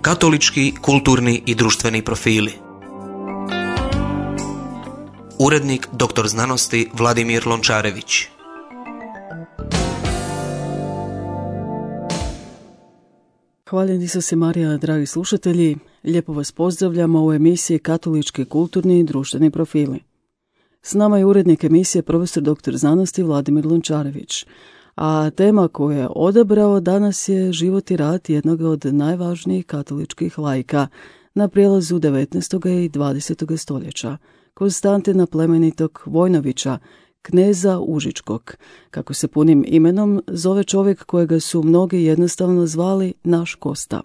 Katolički, kulturni i društveni profili. Urednik dr. znanosti Vladimir Lončarević. Hvaljeni Isuse Marija, dragi slušatelji, lijepo vas pozdravljamo u emisiji Katolički, kulturni i društveni profili. S nama je urednik emisije profesor dr. znanosti Vladimir Lončarević, a tema koju je odabrao danas je život i rad jednog od najvažnijih katoličkih laika na prijelazu 19. i 20. stoljeća, Konstantina plemenitog Vojnovića, kneza Užičkog, kako se punim imenom zove čovjek kojega su mnogi jednostavno zvali naš Kosta.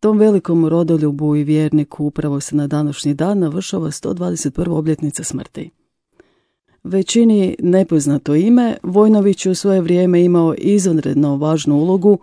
Tom velikom rodoljubu i vjerniku upravo se na današnji dan navršava 121. obljetnica smrti. Većini nepoznato ime, Vojnović u svoje vrijeme imao izvanredno važnu ulogu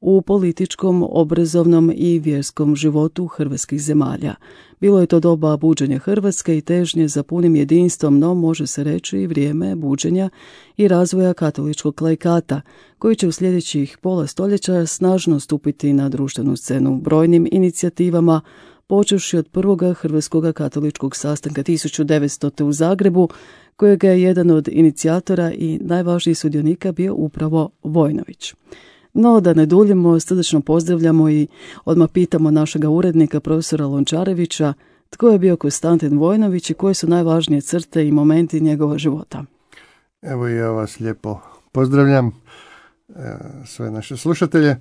u političkom, obrazovnom i vjerskom životu hrvatskih zemalja. Bilo je to doba buđenja Hrvatske i težnje za punim jedinstvom, no može se reći i vrijeme buđenja i razvoja katoličkog laikata, koji će u sljedećih pola stoljeća snažno stupiti na društvenu scenu brojnim inicijativama, počevši od prvog Hrvatskog katoličkog sastanka 1900. u Zagrebu, kojega je jedan od inicijatora i najvažnijih sudionika bio upravo Vojnović. No, da ne duljimo, srdačno pozdravljamo i odmah pitamo našega urednika, profesora Lončarevića, tko je bio Konstantin Vojnović i koje su najvažnije crte i momenti njegova života. Evo i ja vas lijepo pozdravljam, sve naše slušatelje.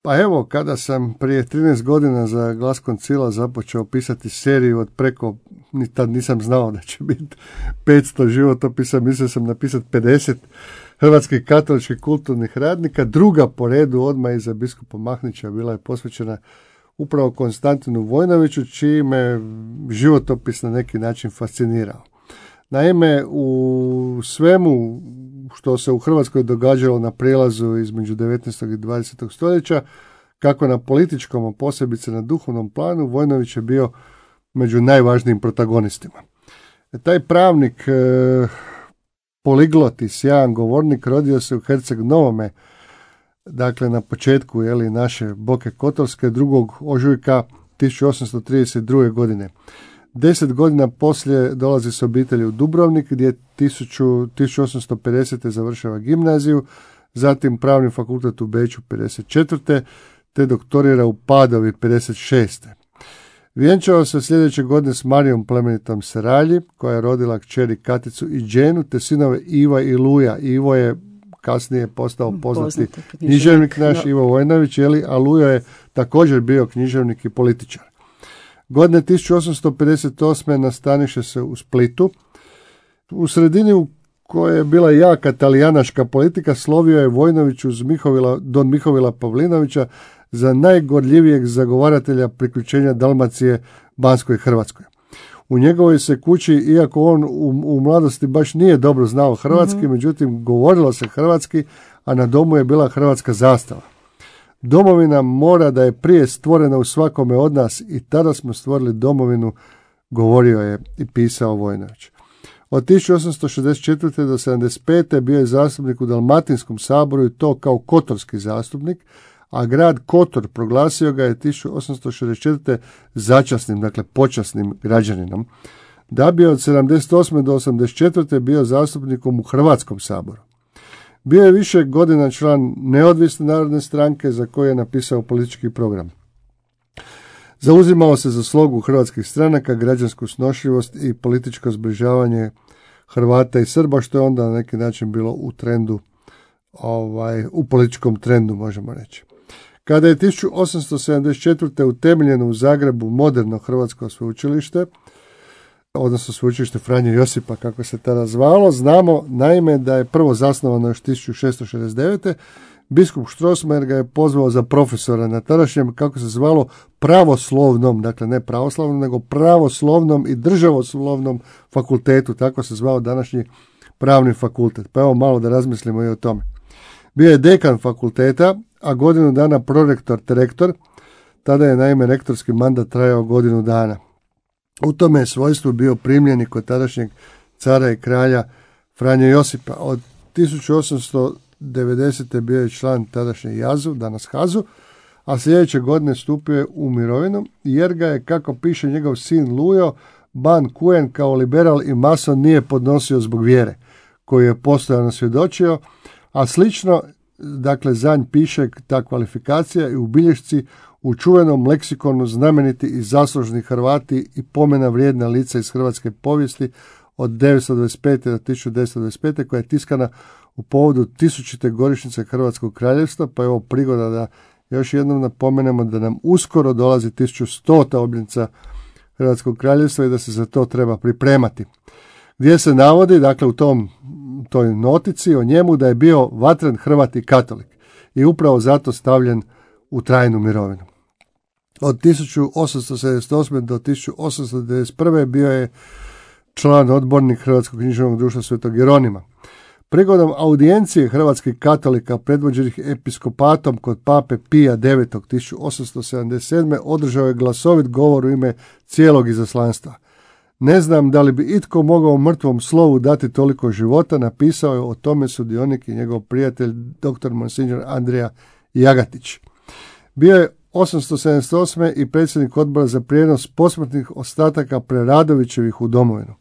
Pa evo, kada sam prije 13 godina za Glas Koncila započeo pisati seriju od preko, ni tad nisam znao da će biti 500 životopisa, mislio sam napisati 50 hrvatskih katoličkih kulturnih radnika. Druga po redu odmah iza biskupa Mahnića bila je posvećena upravo Konstantinu Vojnoviću, čiji me životopis na neki način fascinirao. Naime, u svemu što se u Hrvatskoj događalo na prijelazu između 19. i 20. stoljeća, kako na političkom, a posebice na duhovnom planu, Vojnović je bio među najvažnijim protagonistima. Taj pravnik, poliglot i sjajan govornik rodio se u Herceg Novome, dakle na početku naše Boke Kotorske 2. ožujka 1832. godine. 10 godina poslije dolazi s obitelji u Dubrovnik, gdje 1850. završava gimnaziju, zatim pravni fakultet u Beču 54. te doktorira u Padovi 56. Vjenčao se sljedeće godine s Marijom plemenitom Seralji, koja je rodila kćeri Katicu i Đenu, te sinove Iva i Luja. Ivo je kasnije postao poznati književnik naš, Ivo Vojnović, a Lujo je također bio književnik i političar. Godine 1858. nastaniše se u Splitu. U sredini u kojoj je bila jaka talijanaška politika slovio je Vojnović uz don Mihovila Pavlinovića za najgorljivijeg zagovaratelja priključenja Dalmacije Banskoj Hrvatskoj. U njegovoj se kući, iako on u mladosti baš nije dobro znao hrvatski, međutim govorilo se hrvatski, a na domu je bila hrvatska zastava. Domovina mora da je prije stvorena u svakome od nas i tada smo stvorili domovinu, govorio je i pisao Vojnović. Od 1864. do 1975. bio je zastupnik u Dalmatinskom saboru i to kao kotorski zastupnik, a grad Kotor proglasio ga je 1864. začasnim, dakle počasnim građaninom, da bi od 78. do 84. bio zastupnikom u Hrvatskom saboru. Bio je više godina član Neovisne narodne stranke za koju je napisao politički program. Zauzimao se za slogu hrvatskih stranaka, građansku snošljivost i političko zbližavanje Hrvata i Srba, što je onda na neki način bilo u trendu, u političkom trendu možemo reći. Kada je 1874. utemeljeno u Zagrebu moderno hrvatsko sveučilište, odnosno sveučilište Franje Josipa, kako se tada zvalo, znamo naime da je prvo zasnovano još 1669. Biskup Strossmayer ga je pozvao za profesora na tadašnjem, kako se zvalo, pravoslovnom, dakle ne pravoslavnom, nego pravoslovnom i državoslovnom fakultetu, tako se zvao današnji pravni fakultet. Pa evo malo da razmislimo i o tome. Bio je dekan fakulteta, a godinu dana prorektor te rektor, tada je naime rektorski mandat trajao godinu dana. U tome je svojstvu bio primljenik kod tadašnjeg cara i kralja Franje Josipa. Od 1890. bio je član tadašnje Jazu, danas Hazu, a sljedeće godine stupio je u mirovinu, jer ga je, kako piše njegov sin Lujo, Ban Kuen kao liberal i mason nije podnosio zbog vjere, koju je postojano svjedočio, a slično, dakle, za nj piše ta kvalifikacija i u bilješci u čuvenom leksikonu znameniti i zaslužni Hrvati i pomena vrijedna lica iz hrvatske povijesti od 1925. do 1925. koja je tiskana u povodu 1000. godišnjice Hrvatskog kraljevstva, pa je ovo prigoda da još jednom napomenemo da nam uskoro dolazi 1100. obljetnica Hrvatskog kraljevstva i da se za to treba pripremati. Gdje se navodi, dakle u toj notici o njemu, da je bio vatren Hrvat i katolik i upravo zato stavljen u trajnu mirovinu. Od 1878. do 1891. bio je član odbornik Hrvatskog književnog društva Svetog Jeronima. Prigodom audijencije hrvatskih katolika predvođenih episkopatom kod pape Pija IX. 1877. održao je glasovit govor u ime cijelog izaslanstva. Ne znam da li bi itko mogao mrtvom slovu dati toliko života, napisao je o tome sudionik i njegov prijatelj dr. Monsignor Andrija Jagatić. Bio je 878. i predsjednik odbora za prijenos posmrtnih ostataka Preradovićevih u domovinu.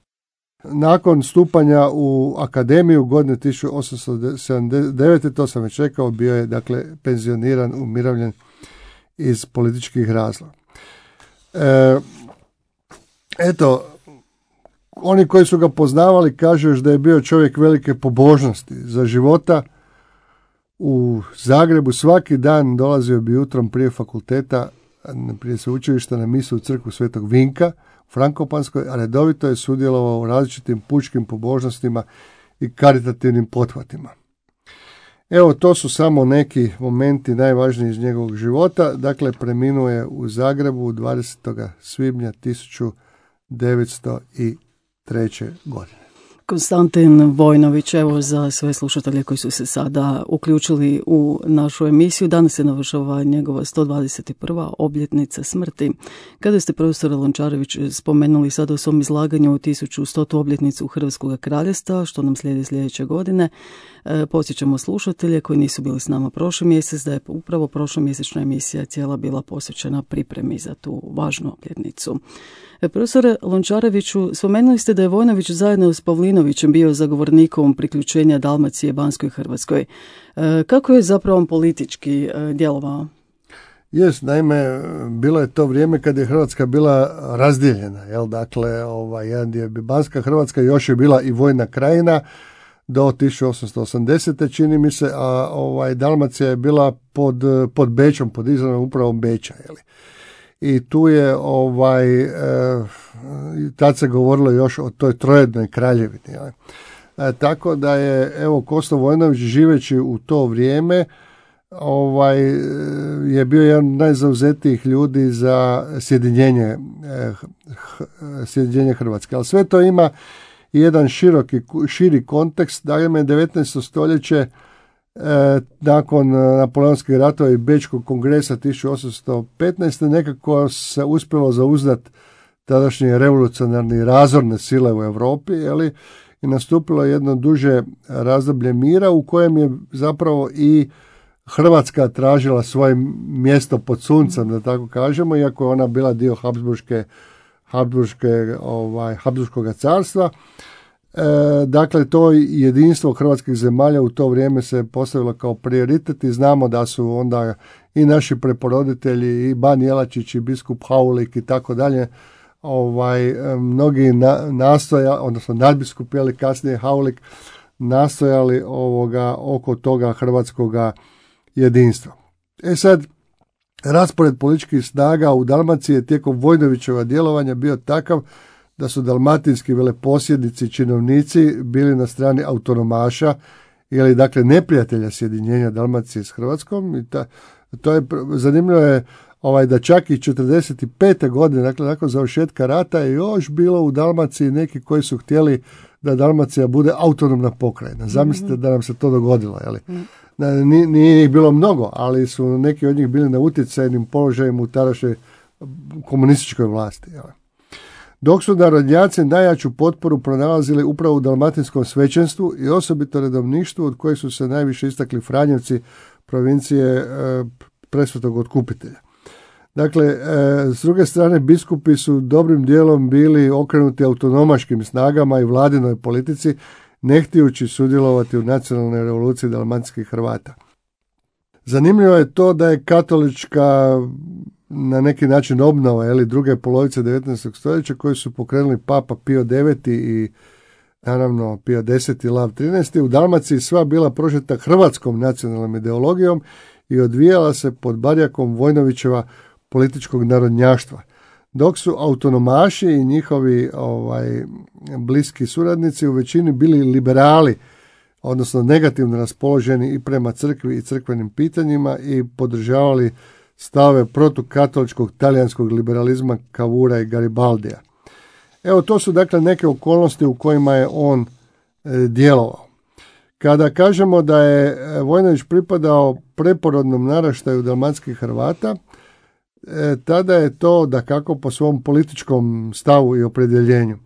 Nakon stupanja u akademiju godine 1879. to sam već rekao, bio je dakle penzioniran, umirovljen iz političkih razloga. Oni koji su ga poznavali kažu još da je bio čovjek velike pobožnosti. Za života u Zagrebu svaki dan dolazio bi jutrom prije fakulteta, prije sveučilišta na misu u crkvu Svetog Vinka u Frankopanskoj, a redovito je sudjelovao u različitim pučkim pobožnostima i karitativnim pothvatima. Evo, to su samo neki momenti najvažniji iz njegovog života. Dakle, preminuo je u Zagrebu 20. svibnja 1903. godine. Konstantin Vojnović, evo za sve slušatelje koji su se sada uključili u našu emisiju, danas se navršava njegova 121. obljetnica smrti. Kada ste profesor Lončarević spomenuli sada u svom izlaganju 1100. obljetnicu Hrvatskog kraljevstva, što nam slijedi sljedeće godine, podsjećamo slušatelje koji nisu bili s nama prošli mjesec da je upravo prošlomjesečna emisija cijela bila posvećena pripremi za tu važnu obljetnicu. Profesore Lončareviću, spomenuli ste da je Vojnović zajedno s Pavlinovićem bio zagovornikom priključenja Dalmacije Banskoj Hrvatskoj. Kako je zapravo politički djelovao? Naime, bilo je to vrijeme kad je Hrvatska bila razdijeljena. Dakle, jedan dio je Banska Hrvatska, još je bila i vojna krajina do 1880. čini mi se, a Dalmacija je bila pod Bečom, pod izravnom upravom Beča. I tu je tad se govorilo još o toj trojednoj kraljevini. Tako da je Kosto Vojnović, živeći u to vrijeme, je bio jedan od najzauzetijih ljudi za sjedinjenje Hrvatske. Ali sve to ima jedan širi kontekst. Naime, 19. stoljeće nakon Napoleonskih ratova i Bečkog kongresa 1815. nekako se uspjelo zauzdati tadašnje revolucionarne razorne sile u Europi, i nastupilo jedno duže razdoblje mira u kojem je zapravo i Hrvatska tražila svoje mjesto pod suncem, da tako kažemo, iako je ona bila dio Habsburškog carstva. Dakle, to jedinstvo hrvatskih zemalja u to vrijeme se postavilo kao prioritet i znamo da su onda i naši preporoditelji, i Ban Jelačić, i biskup Haulik i tako dalje, mnogi odnosno nadbiskup, kasnije Haulik, nastojali oko toga hrvatskoga jedinstva. Sad, raspored političkih snaga u Dalmaciji je tijekom Vojnovićeva djelovanja bio takav da su dalmatinski veleposjednici i činovnici bili na strani autonomaša, dakle neprijatelja sjedinjenja Dalmacije s Hrvatskom. I to je zanimljivo je da čak i 45. godine, dakle nakon završetka rata, je još bilo u Dalmaciji neki koji su htjeli da Dalmacija bude autonomna pokrajina. Zamislite da nam se to dogodilo. Nije ih bilo mnogo, ali su neki od njih bili na utjecajnim položajima u tadašnjoj komunističkoj vlasti. Dok su narodnjaci najjaču potporu pronalazili upravo u dalmatinskom svećenstvu i osobito redovništvu, od kojih su se najviše istakli Franjevci provincije presvetog otkupitelja. Dakle, s druge strane, biskupi su dobrim dijelom bili okrenuti autonomaškim snagama i vladinoj politici, ne htijući sudjelovati u nacionalnoj revoluciji dalmatinskih Hrvata. Zanimljivo je to da je katolička na neki način obnova druge polovice 19. stoljeća koju su pokrenuli Papa Pio IX i naravno Pio X i Lav XIII. U Dalmaciji sva bila prožeta hrvatskom nacionalnom ideologijom i odvijala se pod barjakom Vojnovićeva političkog narodnjaštva. Dok su autonomaši i njihovi bliski suradnici u većini bili liberali, odnosno negativno raspoloženi i prema crkvi i crkvenim pitanjima i podržavali stave protukatoličkog talijanskog liberalizma Cavoura i Garibaldija. Evo, to su dakle neke okolnosti u kojima je on djelovao. Kada kažemo da je Vojnović pripadao preporodnom naraštaju dalmatskih Hrvata, tada je to dakako po svom političkom stavu i opredjeljenju.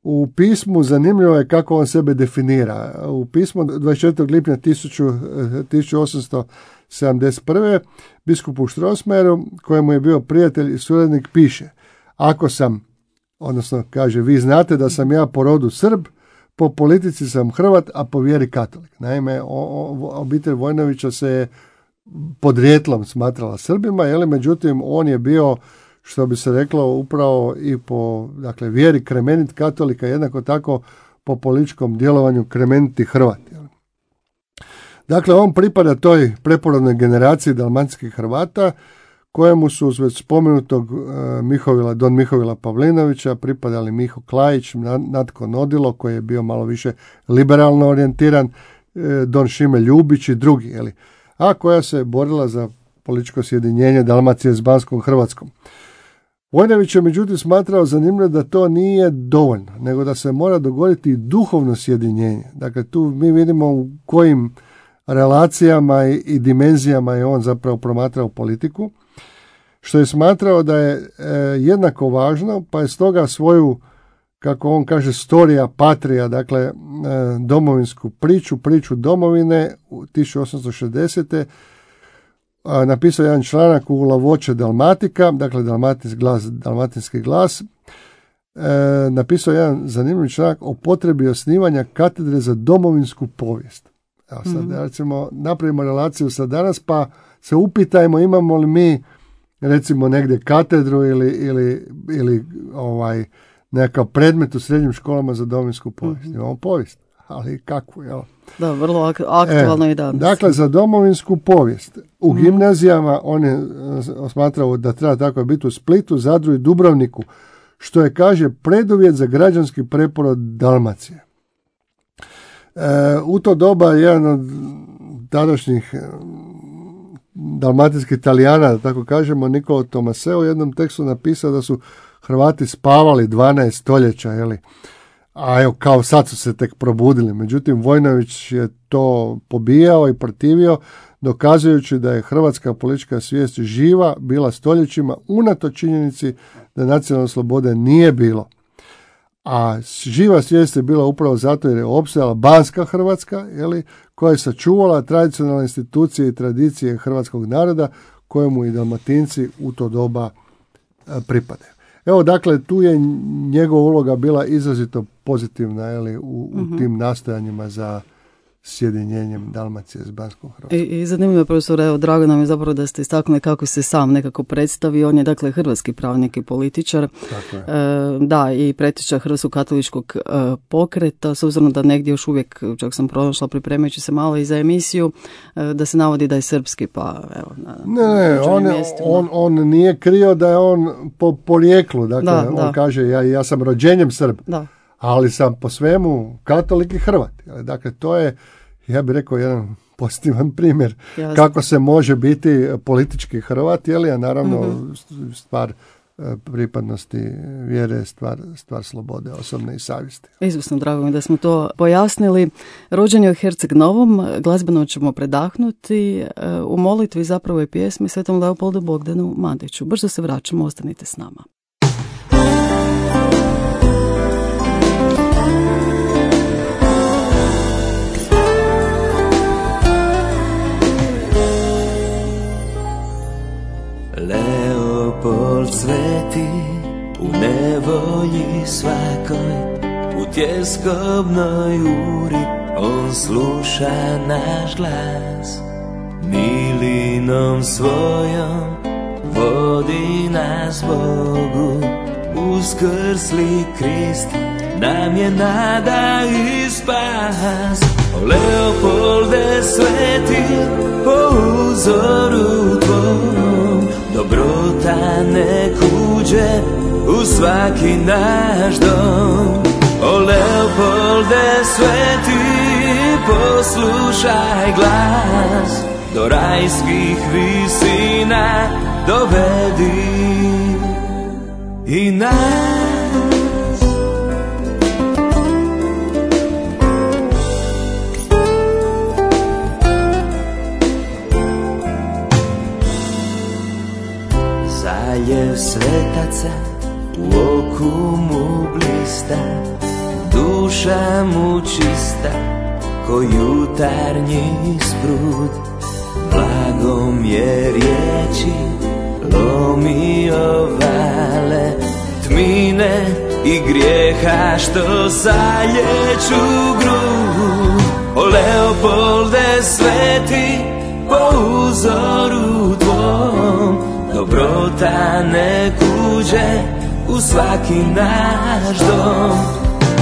U pismu zanimljivo je kako on sebe definira. U pismu 24. lipnja 1871. biskupu Strossmayeru, kojemu je bio prijatelj i suradnik, piše: ako sam, odnosno kaže, vi znate da sam ja po rodu Srb, po politici sam Hrvat, a po vjeri katolik. Naime, obitelj Vojnovića se je podrijetlom smatrala Srbima, međutim on je bio, što bi se reklo, upravo i po vjeri kremenit katolika, jednako tako po političkom djelovanju kremeniti Hrvat. Dakle, on pripada toj preporodnoj generaciji dalmatinskih Hrvata, kojemu su uz već spomenutog Don Mihovila Pavlinovića pripadali Miho Klajić, Natko Nodilo, koji je bio malo više liberalno orijentiran, Don Šime Ljubić i drugi, a koja se borila za političko sjedinjenje Dalmacije s Banskom Hrvatskom. Vojnović je međutim smatrao zanimljivo da to nije dovoljno, nego da se mora dogoditi duhovno sjedinjenje. Dakle, tu mi vidimo u kojim relacijama i dimenzijama je on zapravo promatrao politiku, što je smatrao da je jednako važno, pa je stoga svoju, kako on kaže, storija patria, dakle domovinsku priču domovine u 1860. Napisao jedan članak u La Voce Dalmatica, dakle dalmatinski glas, napisao jedan zanimljiv članak o potrebi osnivanja katedre za domovinsku povijest. Evo sad, recimo, napravimo relaciju sa danas, pa se upitajmo imamo li mi, recimo, negdje katedru ili nekakav predmet u srednjim školama za domovinsku povijest. Imamo povijest, ali kakvu, jel? Da, vrlo aktualno i danas. Dakle, za domovinsku povijest u gimnazijama on je smatrao da treba tako biti u Splitu, Zadru i Dubrovniku, što je, kaže, preduvjet za građanski preporod Dalmacije. U to doba jedan od tadašnjih dalmatinskih Italijana, da tako kažemo, Niccolo Tomaseo, u jednom tekstu napisao da su Hrvati spavali 12 stoljeća, a evo, kao sad su se tek probudili. Međutim, Vojnović je to pobijao i protivio, dokazujući da je hrvatska politička svijest živa bila stoljećima unatoč činjenici da nacionalne slobode nije bilo. A živa svijest je bila upravo zato jer je opstajala Banska Hrvatska, koja je sačuvala tradicionalne institucije i tradicije hrvatskog naroda, kojemu i Dalmatinci u to doba pripadaju. Evo, dakle, tu je njegova uloga bila izrazito pozitivna u tim nastojanjima za sjedinjenjem Dalmacije s Banskom Hrvatskom. I zanimljivo, profesor, evo, drago nam je zapravo da ste istaknuli kako se sam nekako predstavi. On je, dakle, hrvatski pravnik i političar. Da, i preteča Hrvatskog katoličkog pokreta, s obzirom da negdje još uvijek, čak sam pronašla pripremajući se malo i za emisiju, da se navodi da je srpski, pa evo. On nije krio da je on po porijeklu, dakle, on kaže ja sam rođenjem Srb. Da. Ali sam po svemu katolik i Hrvat. Dakle, to je, ja bih rekao, jedan pozitivan primjer kako se može biti politički Hrvat, a naravno stvar pripadnosti vjere, stvar slobode, osobne i savjesti. Izvrsno, drago mi da smo to pojasnili. Rođen je u Herceg Novom, glazbeno ćemo predahnuti u molitvi zapravo i pjesmi Svetom Leopoldu Bogdanu Mandiću. Brzo se vraćamo, ostanite s nama. Leopold sveti, u nevolji svakoj, u tjeskobnoj uri, on sluša naš glas. Milinom svojom vodi nas Bogu, uskrsli Krist nam je nada i spas. O Leopolde sveti, po uzoru tvom, dobrota nek uđe u svaki naš dom. O Leopolde sveti, poslušaj glas, do rajskih visina dovedi i nas. Zaljev svetaca u oku mu blista, duša mu čista ko jutarnji sprud. Blagom je riječi lomio vale, tmine i grijeha što zalječu grud. O Leopolde sveti, po uzoru tvom, dobrota nek uđe u svaki naš dom.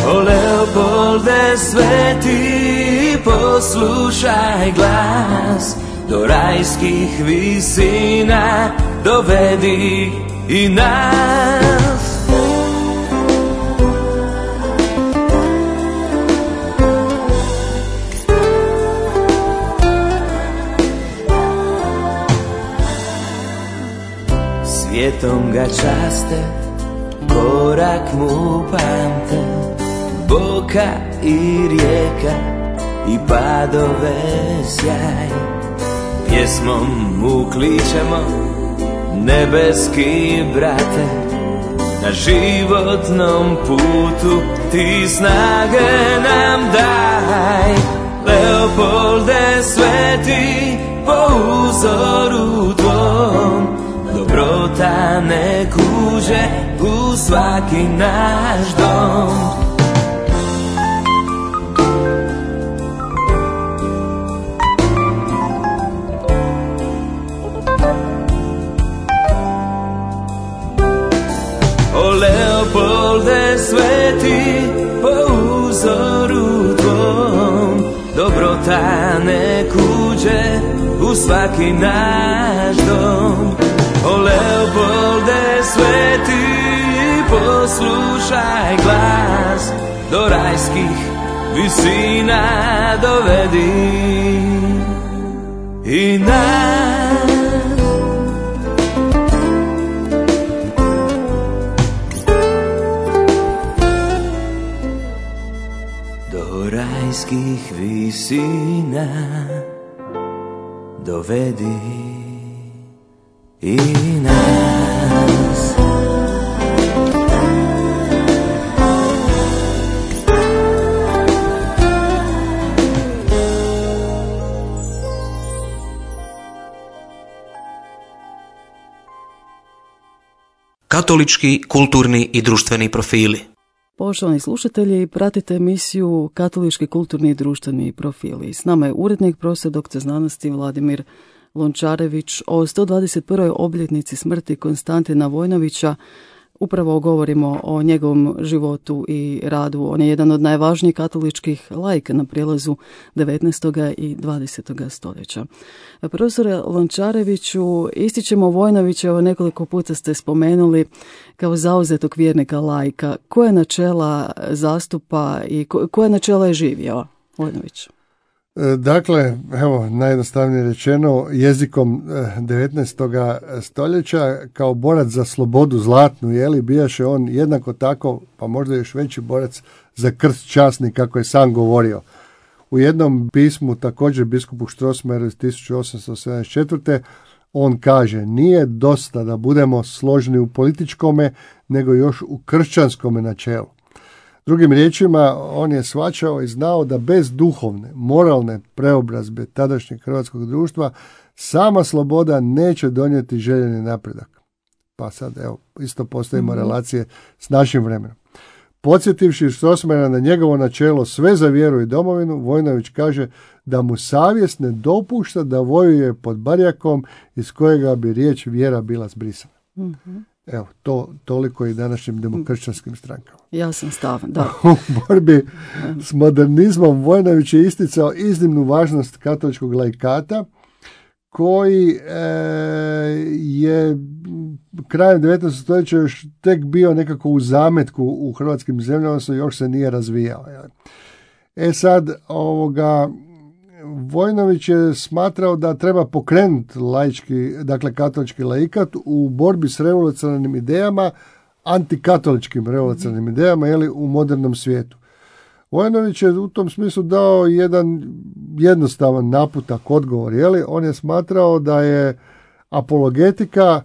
O Leopolde sveti, poslušaj glas, do rajskih visina dovedi i nas. Svijetom ga časte, korak mu pamte, boka i rijeka i padove sjaj. Pjesmom mu kličemo, nebeski brate, na životnom putu ti snage nam daj. Leopolde sveti, po uzoru tvom, dobrota nek uđe u svaki naš dom. O Leopolde sveti, po uzoru tvom, dobrota nek uđe u svaki naš dom. O Leopolde sveti, poslušaj glas, do rajskih visina dovedi i nas. Do rajskih visina dovedi i nas. Katolički, kulturni i društveni profili. Poštovani slušatelji, pratite emisiju Katolički, kulturni i društveni profili. S nama je urednik, profesor dr. znanosti Vladimir Lončarević. O 121. obljetnici smrti Konstantina Vojnovića upravo govorimo o njegovom životu i radu. On je jedan od najvažnijih katoličkih laika na prijelazu 19. i 20. stoljeća. Profesore Lončareviću, ističemo Vojnovića, evo nekoliko puta ste spomenuli kao zauzetog vjernika laika. Koje načela zastupa i koje načela je živio Vojnović? Dakle, evo, najjednostavnije rečeno, jezikom 19. stoljeća kao borac za slobodu zlatnu, bijaše on jednako tako, pa možda još veći borac za krst časni, kako je sam govorio. U jednom pismu, također biskupu Strossmayeru iz 1874. on kaže: nije dosta da budemo složni u političkome, nego još u kršćanskome načelu. Drugim riječima, on je shvaćao i znao da bez duhovne, moralne preobrazbe tadašnjeg hrvatskog društva sama sloboda neće donijeti željeni napredak. Pa sad, evo, isto postavimo relacije s našim vremenom. Podsjetivši Strossmayera na njegovo načelo sve za vjeru i domovinu, Vojnović kaže da mu savjest ne dopušta da vojuje pod barjakom iz kojega bi riječ vjera bila zbrisana. Evo, to toliko i današnjim demokršćanskim strankama. Jasan stav, da. U borbi s modernizmom Vojnović je isticao iznimnu važnost katoličkog laikata, koji je krajem 19. stoljeća još tek bio nekako u zametku u hrvatskim zemljama, odnosno još se nije razvijao. Sad, Vojnović je smatrao da treba pokrenuti laički, dakle katolički laikat u borbi s revolucionarnim idejama, antikatoličkim revolucionarnim idejama, u modernom svijetu. Vojnović je u tom smislu dao jedan jednostavan naputak, odgovor. On je smatrao da je apologetika,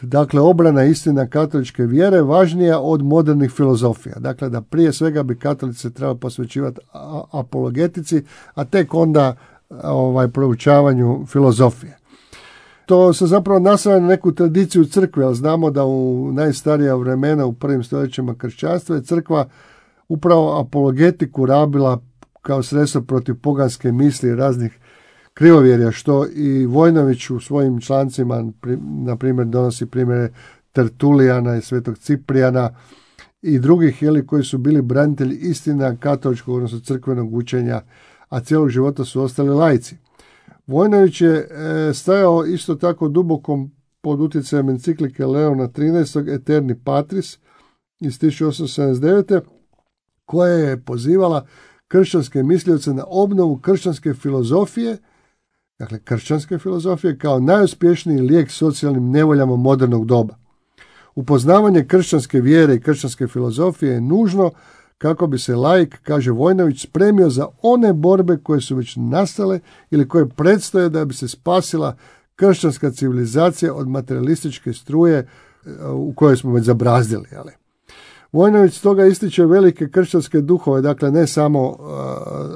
dakle obrana istina katoličke vjere, važnija od modernih filozofija. Dakle, da prije svega bi katolici trebali posvećivati apologetici, a tek onda proučavanju filozofije. To se zapravo naslanja na neku tradiciju crkve, ali znamo da u najstarija vremena, u prvim stoljećima kršćanstva, je crkva upravo apologetiku rabila kao sredstvo protiv poganske misli i raznih krivovjerja, što i Vojnović u svojim člancima, na primjer, donosi primjere Tertulijana i Svetog Ciprijana i drugih, koji su bili branitelji istina katoličkog, odnosno crkvenog učenja, a cijelog života su ostali laici. Vojnović je stajao isto tako duboko pod utjecajem enciklike Leona XIII. Eterni Patris iz 1879. koja je pozivala kršćanske mislioce na obnovu kršćanske filozofije, dakle kršćanske filozofije kao najuspješniji lijek socijalnim nevoljama modernog doba. Upoznavanje kršćanske vjere i kršćanske filozofije je nužno kako bi se laik, kaže Vojnović, spremio za one borbe koje su već nastale ili koje predstoje da bi se spasila kršćanska civilizacija od materialističke struje u kojoj smo već zabrazdili. Vojnović stoga ističe velike kršćanske duhove, dakle ne samo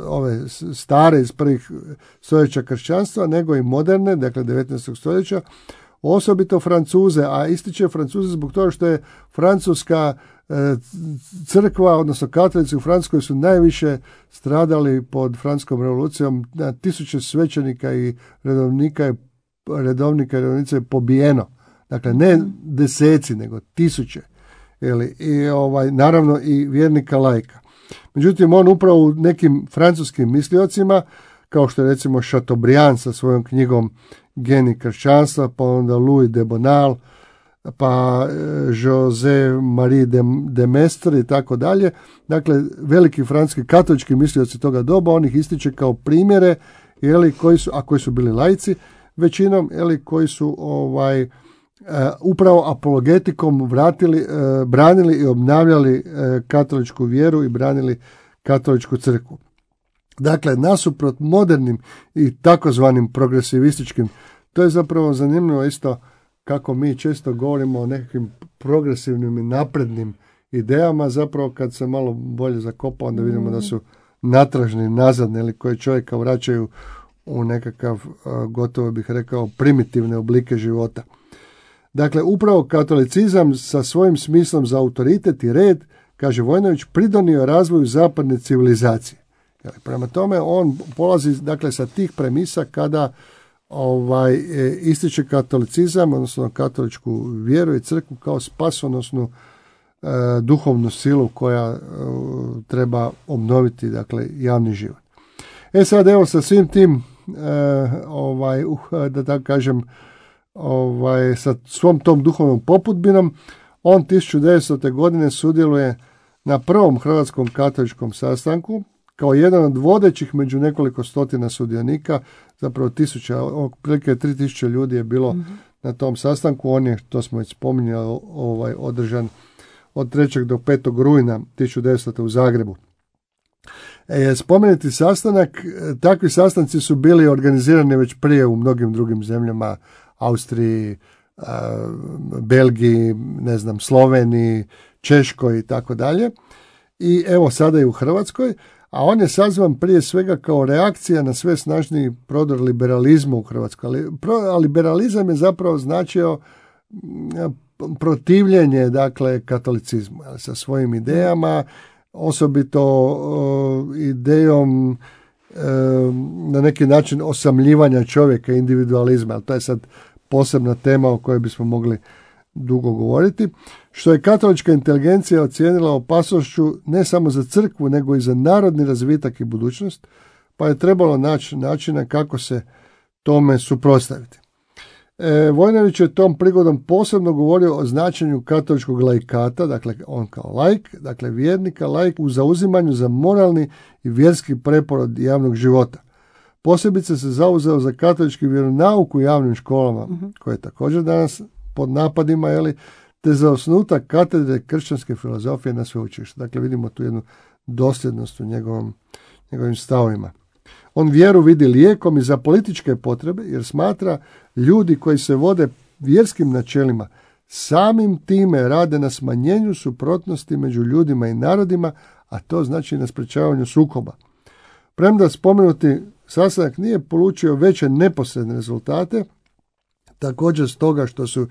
ove stare iz prvih stoljeća kršćanstva, nego i moderne, dakle 19. stoljeća, osobito Francuze, a ističe Francuze zbog toga što je francuska crkva, odnosno katolici u Francuskoj su najviše stradali pod francuskom revolucijom, na tisuće svećenika i redovnika je pobijeno. Dakle, ne deseci, nego tisuće. Naravno i vjernika laika. Međutim, on upravo u nekim francuskim misliocima, kao što je recimo Chateaubriand sa svojom knjigom Genij kršćanstva, pa onda Louis de Bonald, pa José Marie de Maistre i tako dalje. Dakle, veliki francuski katolički mislioci toga doba, on ih ističe kao primjere, koji su bili laici, većinom, koji su upravo apologetikom branili i obnavljali katoličku vjeru i branili katoličku crkvu. Dakle, nasuprot modernim i takozvanim progresivističkim, to je zapravo zanimljivo isto kako mi često govorimo o nekakvim progresivnim i naprednim idejama, zapravo kad se malo bolje zakopa, onda vidimo da su natražni, nazadni, ili koje čovjeka vraćaju u nekakav, gotovo bih rekao, primitivne oblike života. Dakle, upravo katolicizam sa svojim smislom za autoritet i red, kaže Vojnović, pridonio razvoju zapadne civilizacije. Prema tome, on polazi, dakle, sa tih premisa kada ističe katolicizam, odnosno katoličku vjeru i crkvu kao spasonosnu duhovnu silu koja treba obnoviti, dakle, javni život. Sad, evo, sa svim tim, da tako kažem, sa svom tom duhovnom popudbinom, on 1900. godine sudjeluje na prvom hrvatskom katoličkom sastanku kao jedan od vodećih među nekoliko stotina sudionika, zapravo otprilike 3000 ljudi je bilo na tom sastanku. On je, to smo već spominjali, održan od 3. do 5. rujna 1900. u Zagrebu. Spomenuti sastanak, takvi sastanci su bili organizirani već prije u mnogim drugim zemljama, Austriji, Belgiji, Sloveniji, Češkoj i tako dalje. I evo sada i u Hrvatskoj, a on je sazvan prije svega kao reakcija na sve snažniji prodor liberalizma u Hrvatskoj. A liberalizam je zapravo značio protivljenje, dakle, katolicizmu sa svojim idejama, osobito idejom na neki način osamljivanja čovjeka, individualizma, ali to je sad posebna tema o kojoj bismo mogli dugo govoriti, što je katolička inteligencija ocijenila opasnošću ne samo za crkvu, nego i za narodni razvitak i budućnost, pa je trebalo naći načina kako se tome suprotstaviti. Vojnović je tom prigodom posebno govorio o značenju katoličkog laikata, dakle on kao laik, dakle vjernika, laik u zauzimanju za moralni i vjerski preporod javnog života. Posebice se zauzeo za katolički vjeronauk u javnim školama, koje je također danas pod napadima, te za osnutak katedre kršćanske filozofije na sveučilištu. Dakle, vidimo tu jednu dosljednost u njegovim stavovima. On vjeru vidi lijekom i za političke potrebe, jer smatra ljudi koji se vode vjerskim načelima samim time rade na smanjenju suprotnosti među ljudima i narodima, a to znači na sprečavanju sukoba. Premda spomenuti sastanak nije polučio veće neposredne rezultate, također stoga što su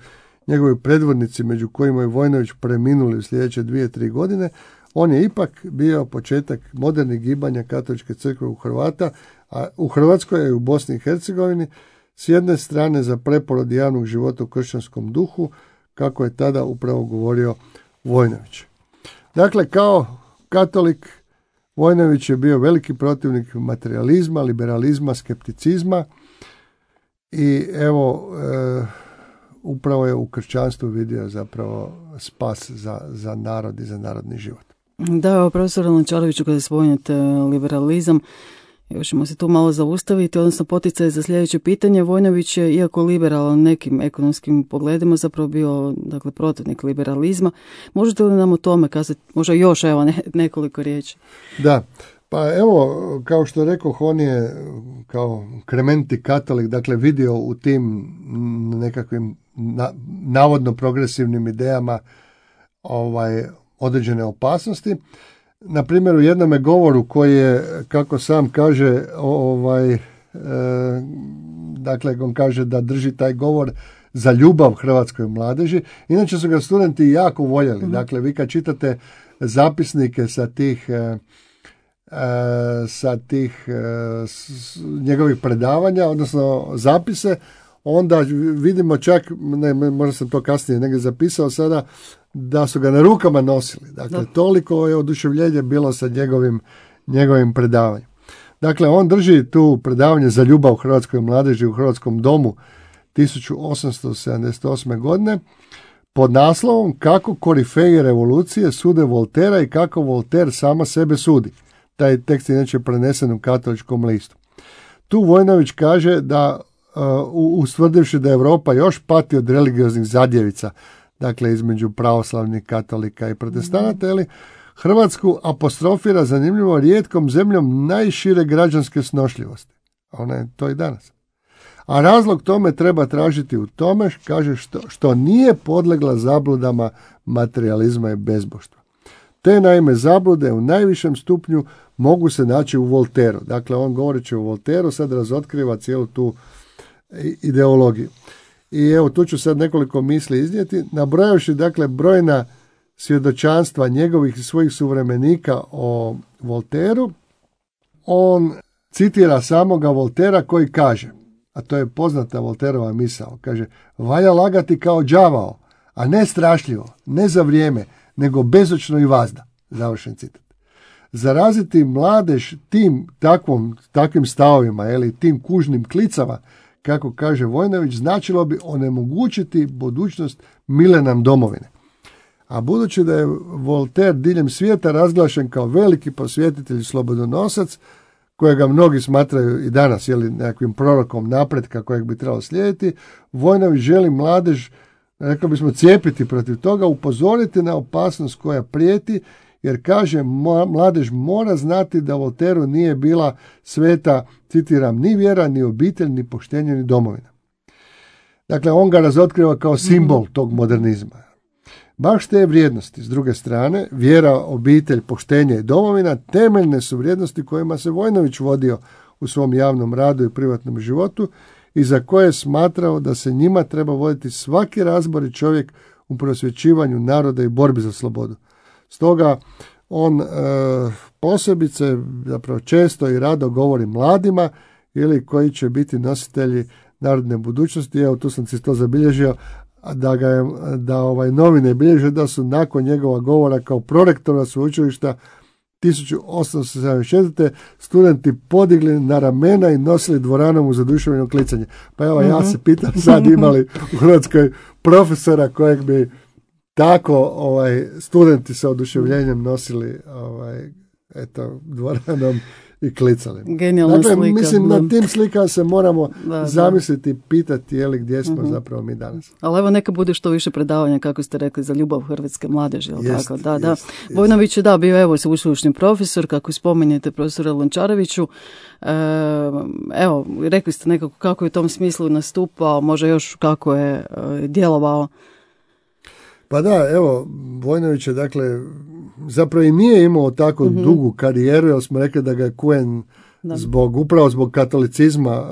njegovi predvodnici, među kojima je Vojnović, preminuli u sljedeće 2-3 godine, on je ipak bio početak modernih gibanja katoličke crkve u Hrvatskoj i u Bosni i Hercegovini, s jedne strane za preporod javnog života u kršćanskom duhu, kako je tada upravo govorio Vojnović. Dakle, kao katolik, Vojnović je bio veliki protivnik materializma, liberalizma, skepticizma i evo, upravo je u kršćanstvu vidio zapravo spas za narod i za narodni život. Da, profesor Lončareviću, kada spominjete liberalizam, još ćemo se tu malo zaustaviti, odnosno poticaj za sljedeće pitanje. Vojnović je, iako liberalan nekim ekonomskim pogledima, zapravo bio, dakle, protivnik liberalizma. Možete li nam o tome kazati, možda još nekoliko riječi? Da, pa evo, kao što rekoh, on je kao krementi katolik, dakle, vidio u tim nekakvim navodno progresivnim idejama određene opasnosti. Na primjer, u jednome govoru koji je, kako sam kaže, dakle, on kaže da drži taj govor za ljubav hrvatskoj mladeži. Inače su ga studenti jako voljeli. Dakle, vi kad čitate zapisnike sa tih njegovih predavanja, odnosno zapise, onda vidimo čak, možda sam to kasnije negdje zapisao sada, da su ga na rukama nosili. Dakle, toliko je oduševljenje bilo sa njegovim predavanjem. Dakle, on drži tu predavanje za ljubav hrvatskoj mladeži u Hrvatskom domu 1878. godine pod naslovom Kako korifeji revolucije sude Voltera i kako Volter sama sebe sudi. Taj tekst je inače prenesen u Katoličkom listu. Tu Vojnović kaže da, ustvrdivši da Europa još pati od religioznih zadjevica, dakle između pravoslavnih katolika i protestanata, Hrvatsku apostrofira zanimljivo rijetkom zemljom najšire građanske snošljivosti. Ona je to i danas. A razlog tome treba tražiti u tome, kaže, što nije podlegla zabludama materializma i bezboštva. Te, naime, zablude u najvišem stupnju mogu se naći u Volteru. Dakle, on, govoreći o Volteru, sad razotkriva cijelu tu ideologiju. I evo, tu ću sad nekoliko misli iznijeti. Nabrojavši, dakle, brojna svjedočanstva njegovih i svojih suvremenika o Volteru, on citira samoga Voltera koji kaže, a to je poznata Volterova misao, kaže, valja lagati kao đavao, a ne strašljivo, ne za vrijeme, nego bezočno i vazda. Završen citat. Zaraziti mladež takvim stavovima, tim kužnim klicama, kako kaže Vojnović, značilo bi onemogućiti budućnost mile nam domovine. A budući da je Volter diljem svijeta razglašen kao veliki prosvjetitelj i slobodonosac, kojega mnogi smatraju i danas nekakvim prorokom napretka kojeg bi trebalo slijediti, Vojnović želi mladež, rekao bismo, cijepiti protiv toga, upozoriti na opasnost koja prijeti, jer kaže, mladež mora znati da Volteru nije bila sveta, citiram, ni vjera, ni obitelj, ni poštenje, ni domovina. Dakle, on ga razotkriva kao simbol tog modernizma. Baš te vrijednosti, s druge strane, vjera, obitelj, poštenje i domovina, temeljne su vrijednosti kojima se Vojnović vodio u svom javnom radu i privatnom životu i za koje je smatrao da se njima treba voditi svaki razbori čovjek u prosvjećivanju naroda i borbi za slobodu. Stoga on posebice, zapravo često i rado govori mladima ili koji će biti nositelji narodne budućnosti. Evo, tu sam si to zabilježio, da novine bilježe da su nakon njegova govora kao prorektora sveučilišta 1874. studenti podigli na ramena i nosili dvoranom uz oduševljeno klicanje. Pa evo, ja se pitam sad imali u Hrvatskoj profesora kojeg bi tako studenti sa oduševljenjem nosili dvoranom i klicali. Genijalna slika. Mislim, na tim slikama se moramo zamisliti i pitati gdje smo zapravo mi danas. Ali evo, neka bude što više predavanja, kako ste rekli, za ljubav hrvatske mladeži. Tako? Da. Vojnović je bio evo sveučilišni profesor, kako spominjete profesora Lončareviću. Evo, rekli ste nekako kako je u tom smislu nastupao, može još kako je djelovao. Pa da, evo, Vojnović je zapravo i nije imao tako dugu karijeru, jer smo rekli da ga je Kuen upravo zbog katolicizma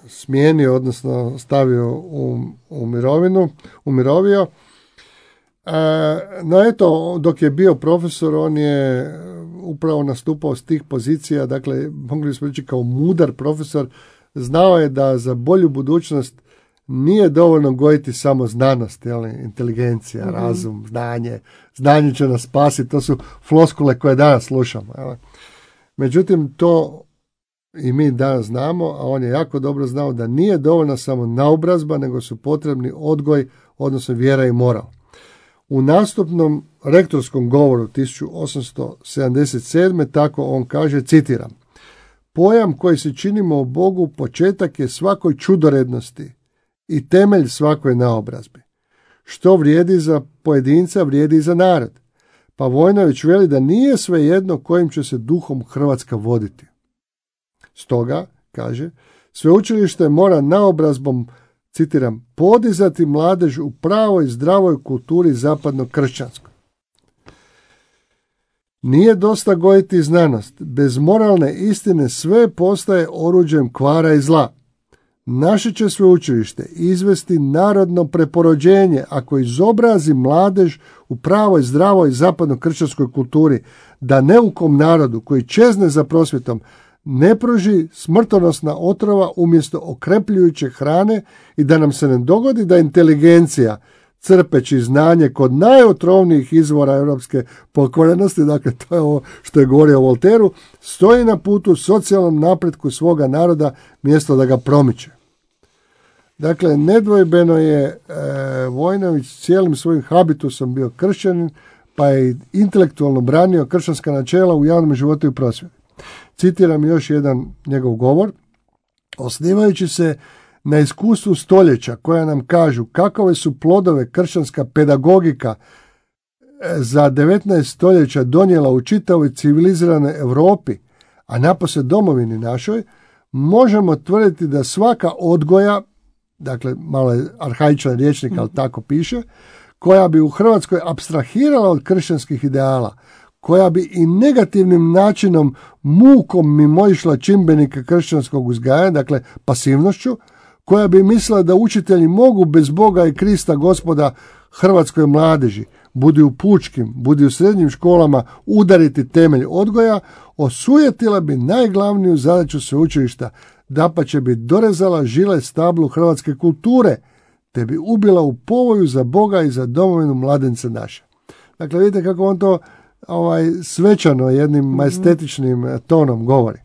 smijenio, odnosno stavio u umirovio. No eto, dok je bio profesor, on je upravo nastupao s tih pozicija, dakle, mogli smo reći kao mudar profesor, znao je da za bolju budućnost nije dovoljno gojiti samo znanost, inteligencija, razum, znanje. Znanje će nas spasiti, to su floskule koje danas slušamo. Međutim, to i mi danas znamo, a on je jako dobro znao da nije dovoljna samo naobrazba, nego su potrebni odgoj, odnosno vjera i moral. U nastupnom rektorskom govoru 1877. tako on kaže, citiram: "Pojam koji se činimo o Bogu početak je svakoj čudorednosti i temelj svakoj naobrazbi. Što vrijedi za pojedinca, vrijedi i za narod. Pa Vojnović veli da nije svejedno kojim će se duhom Hrvatska voditi. Stoga, kaže, sveučilište mora naobrazbom, citiram, podizati mladež u pravoj zdravoj kulturi zapadnog kršćanskog. Nije dosta gojiti znanost. Bez moralne istine sve postaje oruđem kvara i zla. Naše će sveučilište izvesti narodno preporođenje ako izobrazi mladež u pravoj, zdravoj zapadno-kršćanskoj kulturi, da neukom narodu koji čezne za prosvjetom ne pruži smrtonosna otrova umjesto okrepljujuće hrane i da nam se ne dogodi da inteligencija, crpeći znanje kod najotrovnijih izvora europske pokvarenosti, dakle to je ovo što je govorio o Voltairu, stoji na putu socijalnom napretku svoga naroda mjesto da ga promiče." Dakle, nedvojbeno je Vojnović cijelim svojim habitusom bio kršćanin, pa je intelektualno branio kršćanska načela u javnom životu i prosvjeti. Citiram još jedan njegov govor: "Osnivajući se na iskustvu stoljeća koja nam kažu kakove su plodove kršćanska pedagogika za 19 stoljeća donijela u čitavoj civiliziranoj Europi, a napose domovini našoj, možemo tvrditi da svaka odgoja", dakle malo je arhaičan rječnik, ali tako piše, "koja bi u Hrvatskoj apstrahirala od kršćanskih ideala, koja bi i negativnim načinom mukom mimoišla čimbenike kršćanskog uzgajanja, dakle pasivnošću, koja bi mislila da učitelji mogu bez Boga i Krista Gospoda hrvatskoj mladeži, budi u pučkim, budi u srednjim školama, udariti temelj odgoja, osujetila bi najglavniju zadaću sveučilišta, dapače bi dorezala žile stablu hrvatske kulture, te bi ubila u povoju za Boga i za domovinu mladence naše." Dakle, vidite kako on to svečano jednim majestetičnim tonom govori.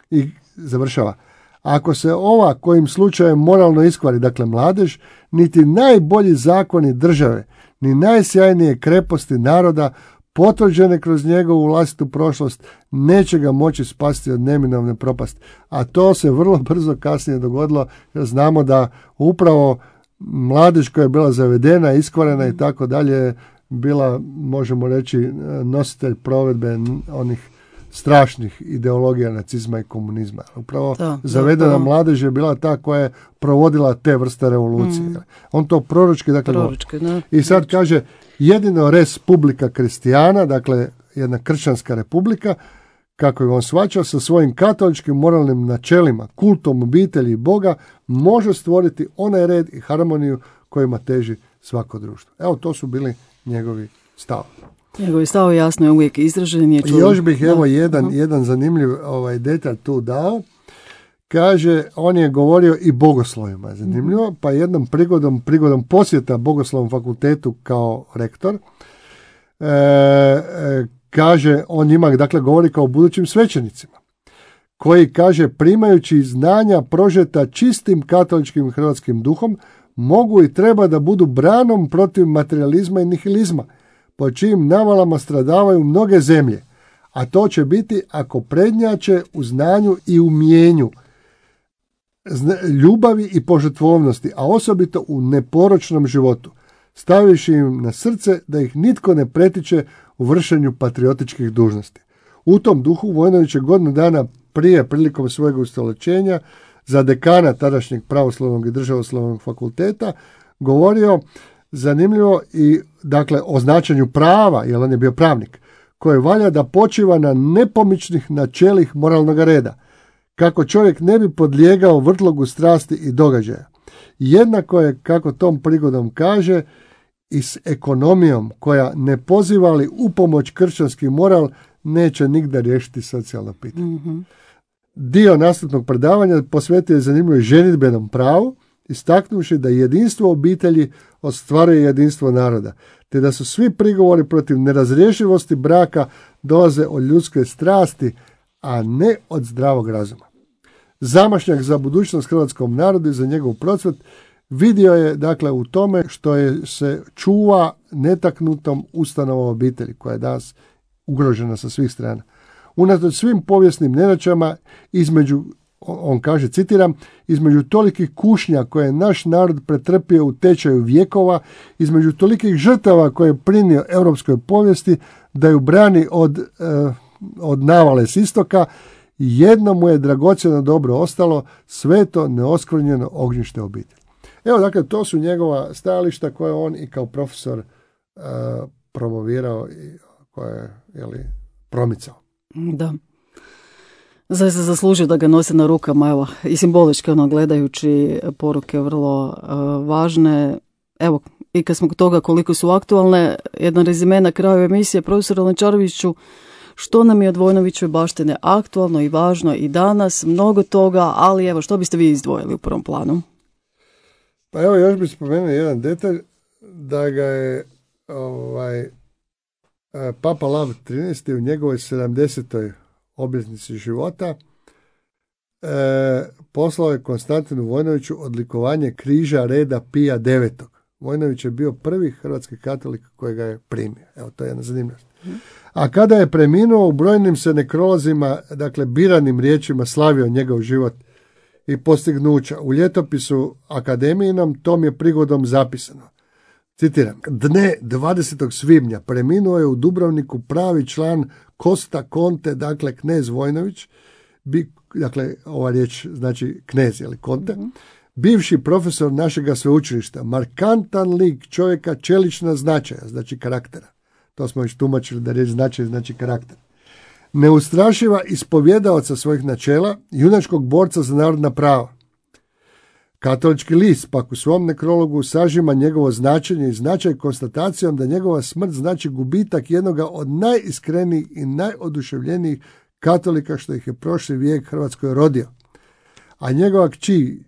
I završava: "Ako se ova kojim slučajem moralno iskvari, dakle mladež, niti najbolji zakoni države, ni najsjajnije kreposti naroda, potvrđene kroz njegovu vlastitu prošlost, neće ga moći spasti od neminovne propasti." A to se vrlo brzo kasnije dogodilo, jer znamo da upravo mladež koja je bila zavedena, iskvarena i tako dalje, bila, možemo reći, nositelj provedbe onih strašnih ideologija nacizma i komunizma. Upravo zavedena mladež je bila ta koja je provodila te vrste revolucije. On to proročki, dakle, i sad kaže, jedino res publica kristijana, dakle, jedna kršćanska republika, kako je on shvaćao, sa svojim katoličkim moralnim načelima, kultom obitelji i Boga, može stvoriti onaj red i harmoniju kojima teži svako društvo. Evo, to su bili njegovi stavovi. Njegovi stavovi jasno je uvijek izražen. I još bih jedan zanimljiv detalj tu dao. Kaže, on je govorio i bogoslovima, zanimljivo, pa jednom prigodom posjeta Bogoslovnom fakultetu kao rektor, kaže, on njima, dakle, govori kao budućim svećenicima, koji, kaže, primajući znanja prožeta čistim katoličkim hrvatskim duhom, mogu i treba da budu branom protiv materializma i nihilizma, po čijim navalama stradavaju mnoge zemlje, a to će biti ako prednjače u znanju i umjenju, ljubavi i požrtvovnosti, a osobito u neporočnom životu, stavivši im na srce da ih nitko ne pretiče u vršenju patriotičkih dužnosti. U tom duhu Vojnović je godinu dana prije, prilikom svojeg ustoličenja, za dekana tadašnjeg pravoslavnog i državoslavnog fakulteta govorio, zanimljivo, i dakle o značenju prava, jer on je bio pravnik, koje valja da počiva na nepomičnih načelih moralnog reda, kako čovjek ne bi podlijegao vrtlogu strasti i događaja. Jednako je, kako tom prigodom kaže, i s ekonomijom koja ne poziva li u pomoć kršćanski moral neće nigda riješiti socijalno pitanje. Dio nastavnog predavanja posvetio je zanimljivo ženidbenom pravu, istaknuvši da jedinstvo obitelji ostvaruje jedinstvo naroda, te da su svi prigovori protiv nerazrješivosti braka dolaze od ljudske strasti, a ne od zdravog razuma. Zamašnjak za budućnost hrvatskom narodu i za njegov procvat vidio je, dakle, u tome što se čuva netaknutom ustanovom obitelji, koja je danas ugrožena sa svih strana. Unatoč svim povijesnim nedaćama, on kaže, citiram, između tolikih kušnja koje je naš narod pretrpio u tečaju vjekova, između tolikih žrtava koje je prinio europskoj povijesti, da ju brani od navale s istoka, jedno mu je dragocjeno dobro ostalo, sveto neoskvrnjeno ognjište obitelji. Evo, dakle, to su njegova stajališta koje on i kao profesor promovirao i koje je promicao. Da. Zaista zaslužio da ga nose na rukama, evo, i simbolički, gledajući poruke vrlo važne. Evo, i kad smo kod toga koliko su aktualne, jedan rezime na kraju emisije, profesor Lončareviću, što nam je od Vojnovićeve baštine aktualno i važno i danas, mnogo toga, ali evo, što biste vi izdvojili u prvom planu? Pa evo, još bih spomenuo jedan detalj, da ga je Papa Lav 13. u njegovoj 70. obljetnici života poslao je Konstantinu Vojnoviću odlikovanje križa reda Pija IX. Vojnović je bio prvi hrvatski katolik koji ga je primio. Evo, to je jedna zanimljivost. A kada je preminuo, u brojnim se nekrolozima, dakle biranim riječima, slavio njegov život i postignuća. U ljetopisu akademijinom tom je prigodom zapisano. Citiram, dne 20. svibnja preminuo je u Dubrovniku pravi član Costa Conte, dakle knez Vojnović, dakle ova riječ znači knez, ili Conte, bivši profesor našega sveučilišta, markantan lik čovjeka čelična značaja, znači karaktera. To smo već tumačili da riječ značaj znači karakter. Neustrašiva ispovjedaoca svojih načela, junačkog borca za narodna prava. Katolički list pak u svom nekrologu sažima njegovo značenje i značaj konstatacijom da njegova smrt znači gubitak jednoga od najiskrenijih i najoduševljenijih katolika što ih je prošli vijek Hrvatskoj rodio. A njegova kći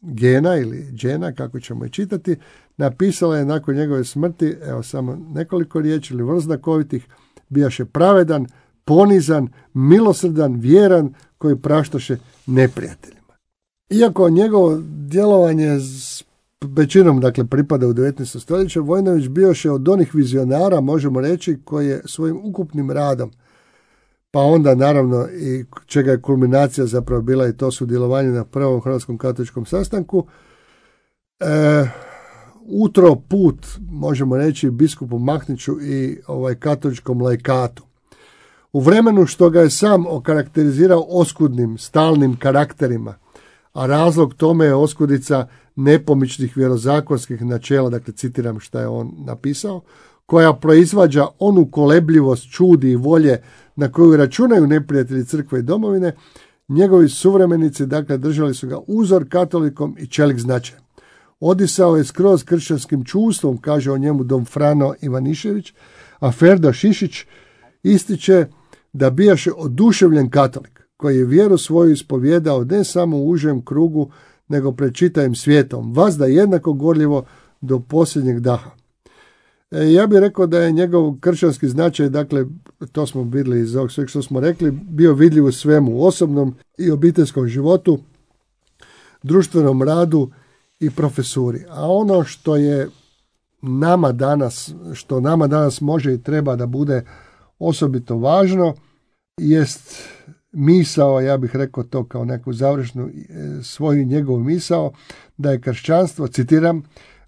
Gena ili Džena, kako ćemo je čitati, napisala je nakon njegove smrti, evo samo nekoliko riječi ili vrlo znakovitih, bijaše pravedan, ponizan, milosrdan, vjeran, koji praštaše neprijateljima. Iako njegovo djelovanje većinom, dakle, pripada u 19. stoljeće, Vojnović bioše od onih vizionara, možemo reći, koji je svojim ukupnim radom, pa onda naravno i čega je kulminacija zapravo bila i to sudjelovanje na prvom hrvatskom katoličkom sastanku, utro put, možemo reći, biskupu Mahniću i katoličkom laikatu. U vremenu što ga je sam okarakterizirao oskudnim, stalnim karakterima, a razlog tome je oskudica nepomičnih vjerozakonskih načela, dakle citiram šta je on napisao, koja proizvađa onu kolebljivost, čudi i volje na koju računaju neprijatelji crkve i domovine, njegovi suvremenici, dakle, držali su ga uzor katolikom i čelik značajem. Odisao je skroz kršćanskim čuvstvom, kaže o njemu dom Frano Ivanišević, a Ferdo Šišić ističe da bijaše oduševljen katolik, koji je vjeru svoju ispovjedao ne samo u užem krugu, nego pred čitavim svijetom, vazda jednako gorljivo do posljednjeg daha. Ja bih rekao da je njegov kršćanski značaj, dakle, to smo vidjeli iz ovog sveg što smo rekli, bio vidljiv u svemu, u osobnom i obiteljskom životu, društvenom radu i profesuri. A ono što je nama danas može i treba da bude osobito važno, jest misao, ja bih rekao to kao neku završnu svoju njegovu misao, da je kršćanstvo, citiram,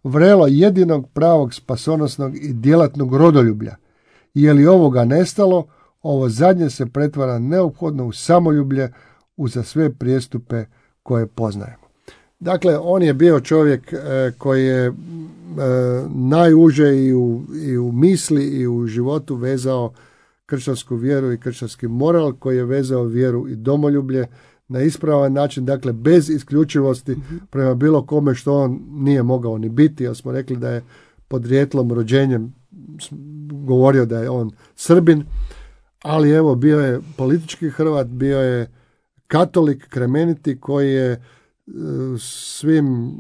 vrelo jedinog pravog spasonosnog i djelatnog rodoljublja. Je li ovoga nestalo, ovo zadnje se pretvara neophodno u samoljublje uza sve prijestupe koje poznajemo. Dakle, on je bio čovjek koji je najuže i u misli i u životu vezao kršćansku vjeru i kršćanski moral, koji je vezao vjeru i domoljublje na ispravan način, dakle bez isključivosti prema bilo kome što on nije mogao ni biti, jer smo rekli da je podrijetlom, rođenjem govorio da je on Srbin, ali evo bio je politički Hrvat, bio je katolik, kremeniti, koji je svim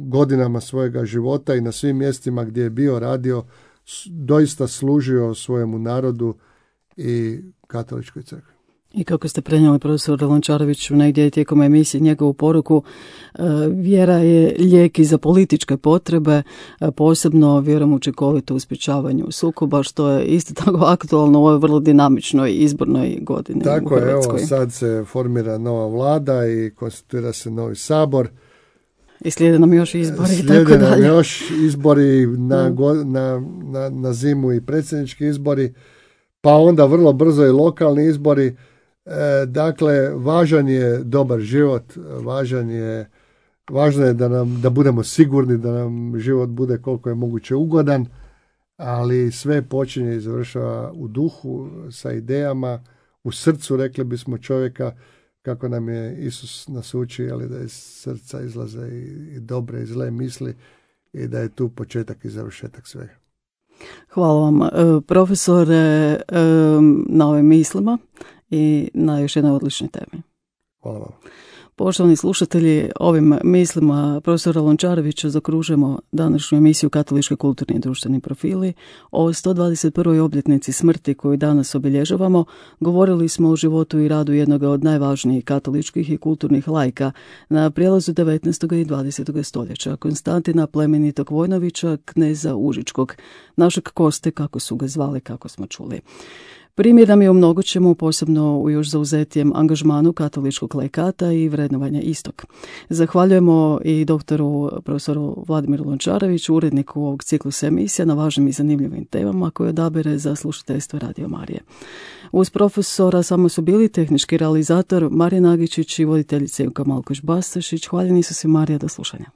godinama svojega života i na svim mjestima gdje je bio radio doista služio svojemu narodu i katoličkoj crkvi. I kako ste prenijeli profesor Lončareviću negdje tijekom emisije njegovu poruku, vjera je lijek i za političke potrebe, posebno vjerujem učinkovito u sprječavanju sukoba, što je isto tako aktualno u ovoj vrlo dinamičnoj izbornoj godini. Tako je, evo sad se formira nova vlada i konstituira se novi sabor. I slijede nam još izbori. Slijede nam još izbori na zimu i predsjednički izbori, pa onda vrlo brzo i lokalni izbori. Dakle, važan je dobar život, važno je da budemo sigurni, da nam život bude koliko je moguće ugodan, ali sve počinje i završava u duhu, sa idejama, u srcu, rekli bismo, čovjeka, kako nam je Isus nas uči, ali da iz srca izlaze i dobre i zle misli i da je tu početak i završetak svega. Hvala vam, profesore, na ovim mislima i na još jednoj odličnoj temi. Hvala vam. Poštovani slušatelji, ovim mislima profesora Lončarevića zakružujemo današnju emisiju Katolički kulturni i društveni profili. O 121. obljetnici smrti koju danas obilježavamo govorili smo o životu i radu jednog od najvažnijih katoličkih i kulturnih laika na prijelazu 19. i 20. stoljeća, Konstantina plemenitog Vojnovića, kneza Užičkog, našeg Koste, kako su ga zvali, kako smo čuli. Primjer nam je u mnogočemu, posebno u još zauzetijem angažmanu katoličkog laikata i vrednovanja istog. Zahvaljujemo i doktoru profesoru Vladimiru Lončareviću, uredniku ovog ciklusa emisija, na važnim i zanimljivim temama koje odabere za slušateljstvo Radio Marije. Uz profesora samo su bili tehnički realizator Marija Nagičić i voditeljica Ivka Malkoš-Bastašić. Hvaljeni su si, Marija, do slušanja.